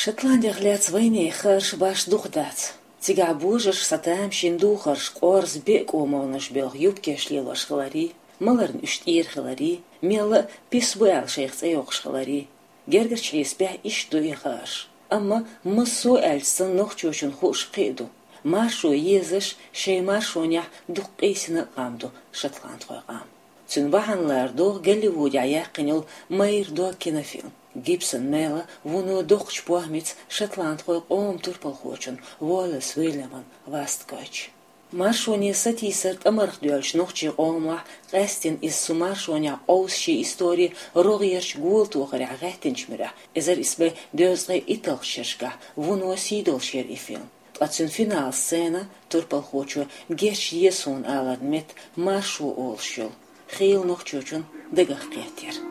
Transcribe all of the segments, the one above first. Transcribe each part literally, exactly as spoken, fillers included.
Шотландех лаьцна вайнехан хаарш башха дукха дац. Цигахь божарша сатам шина духарш, къорза беа кӀомалнаш белха юбкеш лелош хиларий, маларна уьш тӀера хиларий, мелла а пис бу аьлла шайх цӀе йоккхуш хиларий. Гергарчу хьесапехь иштта ду и хаарш. Амма массо а аьлча санна нохчочунна хууш кхин а ду. Маршо езаш, шайн маршонехь дукха къийсина а къам ду шотландхойн къам. Цуьнан бахьана лардо Голливудехь яьккхина йолу «Майра дог» кинофильм. Гибсон Мела вуно доккхачу похӀмица шотландхойн къоман турпалхочун Уоллес Уильяман васт гойтуш. Маршоне сатийсар тӀамарх доьллачу нохчийн къомахь, къаьсттина иза цу маршонехь къовсуш шен истори рогӀерчу голатохарехь гӀаьттинчу муьрехь, эзар исс бӀе дезткъе итталгӀачу шерашкахь, вуно сий долуш яра и фильм. Ткъа цуьнан финал сцена турпалхочо «Геч еза суна» аларна метта «маршо» олуш йолу хийла нохчочун дагах кхеттера.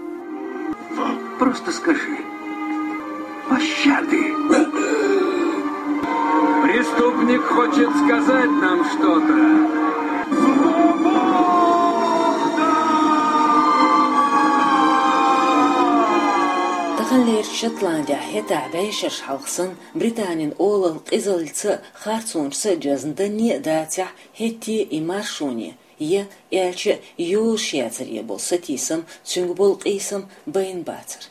Просто скажи: «Пощады!» Преступник хочет сказать нам что-то. Таханлерчу Шотландехь хӀетахь бӀешераш хьалха санна, Британин олалла къизаллица а, харцонашца а доьзна данне а дацахь, хӀетте и маршоне, я, аьлча а, йозуш яцаре болу сатийсам, цуьнга болу къийсам байна бацара.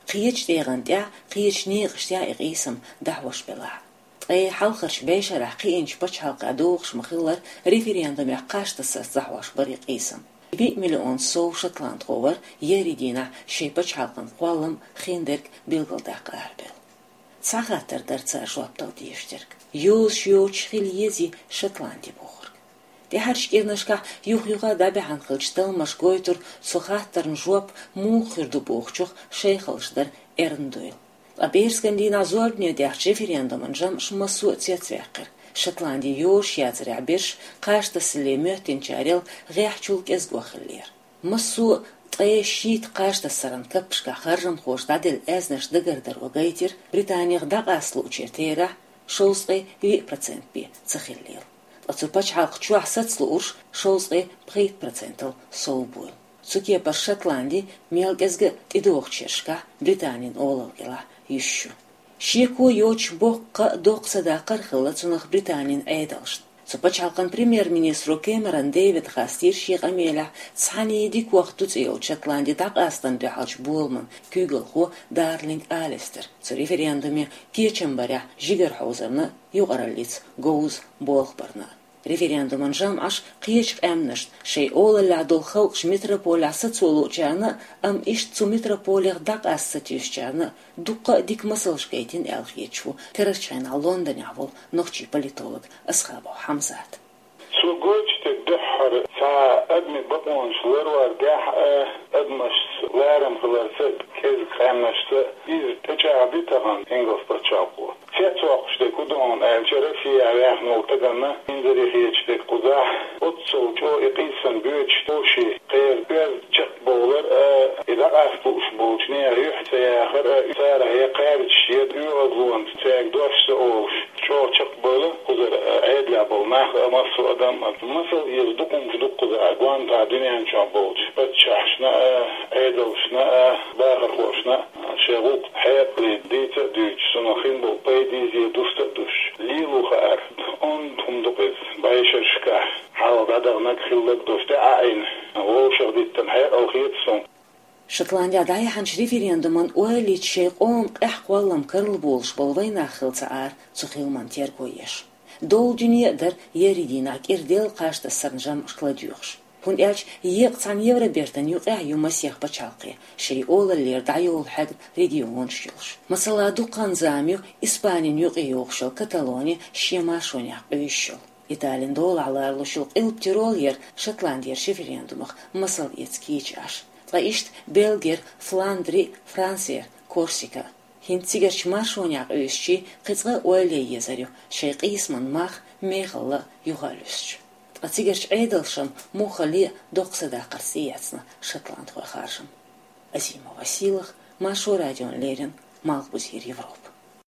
Кхечу тӀегӀан тӀехь, кхечу некъаштехь и къийсам дӀахьош белахь а. Ткъе хьалхарчу бӀешарахь кхиъначу пачхьалкхехь догӀуш ма-хиллара, референдумех кхаж тасарца дӀахьош бара и къийсам. Виъ миллион сов шотландхо вара еарин дийнахь шайн пачхьалкхан кхоллам а, хиндерг а билгалдаккха арабевлла. Цхьа хаттар дара цара жоп дала дезаш дерг: йозуш йоцуш хила езий Шотланди бохург? ТӀаьхьарчу кӀирнашкахь юх-юха дӀабаьхьна хиллачу талламаша гойтура цу хаттарна жоп муха хир ду бохучух шайхаллаш дар эрна дуйла. Ткъа беркан дийнахь зорбане даьхначу референдуман жамӀаша массо а цецваьккхира. Шотланди йозуш яцарехь берш кхаж тасале моьттинчарел гӀеххьачул кӀезиг хиллера. Массо а ткъе шийтта кхаж тасаран каппашкахь харжамхоша дӀаделла аьзнаш дагардаро гайтира, Британех дӀакъаста луучеран терахь шовзткъе виъ процент бен ца хиллийла. Ткъа цу пачхьалкх чохь саца луурш шовзткъе пхийтта процентал сов буйла. Цу кепара Шотланди мел кӀезга а тӀедогӀучу шерашкахь Британин олалла кӀелахь юьсуш ю. Шеко йоцуш боккха а доккха садаккхар а хилла цунах Британин Ӏедалшна. Цу пачхьалкхан премьер-министро Кэмерон Дэвида хастийра шен къамелехь «Цхьаьний дика вахт ду» цӀе йолчу Шотланди дӀакъастарна дуьхьалчу боламан куьйгалхо Дарлинг Алистер. Цу референдуме кечам барехь жигара хьовзарна а, юкъараллица говза болх барна а. Референдуман жамӀаш кхечу къаьмнашна, шайн олаллехь долу халкъаш метрополехь сацо луучарна а, амма иштта цу метрополех дӀакъаста сатуьйсучарна а дуккха а дика масалш гайтина аьлла хеташ ву карарчу хенахь Лондонехь волу нохчийн политолог Асхабов Хьамзат. Цо гойтуш дерг дуьххьара цхьа адамийн бакъонаш ларвар дехьа а, адамашца ларам хиларца а, кӀезиг къаьмнашца а иза тӀечӀагӀди тахана ингалс пачхьалкхо. Цецвоккхуш дерг хӀун ду хьуна аьлча, Россехь ваьхна волу стаганна инзаре хеташ дерг кхузахь, оццул чӀогӀа и къийсам боьдуш, тхо шен кхеран оьзда чекхбовлар а, и дӀакъаста лууш болчу нехан юьхь ца яхар а, царах я кхаьрдаш, я оьгӀазлонца цаьрга дош ца олуш, чӀогӀа чекхбевлла кхузара Ӏедалехь болу нах а, массо а адам а. Масал еза дукха хӀумнаш ду кхузахь, гонаха дуьнен чохь болчу паччахьашна а, Ӏедалшна а, бахархошна а. Шайн гӀуллакх хьекъале дийца а дуьйцуш, цунах хин болу пайда иза душта а дуьсуш, лело хаар онда хӀума ду-кх иза бӀешерашкахь, хьалха дӀадаханарг, хилларг долуш тӀе а Ӏийна, вовшах диттина хьекъал хета суна. Шотландехь дӀаяьхьначу референдуман ойла йича шайн къоман къаьхьа кхоллам карла болуш болу вайнах хилла ца Ӏара цу хиламан терго еш. Долу дуьне а дара еарин дийнахь кӀира делла кхаж тасаран жамӀашка ладоьгӀуш. ХӀунда аьлча еккъа цхьана Евробертан юкъехь ю масех пачхьалкх, шайн олаллера дӀайолу хьегна регионаш йолуш. Масала, дуккха а зама ю Испанин юкъе йогӀуш йолу Каталони шен маршонехь къуьйсуш йолу. Италин долахь лоруш йолу Къилба Тирол яра Шотландера референдумах масал эца кийча Ӏаш. Ткъа иштта Бельгера Фландри, Франсера Корсика. ХӀинца цигарчу маршонехь къуьйсучийн кхин цкъа а ойла ян езар ю шайн къийсаман мах мехалла юха а луьстуш. Ткъа цигарчу Ӏедалшна муххале а доккха садаккхарца тӀеэцна шотландхойн харжам. Азима Василах, Маршо радиона леррина, Малхбузера Европа.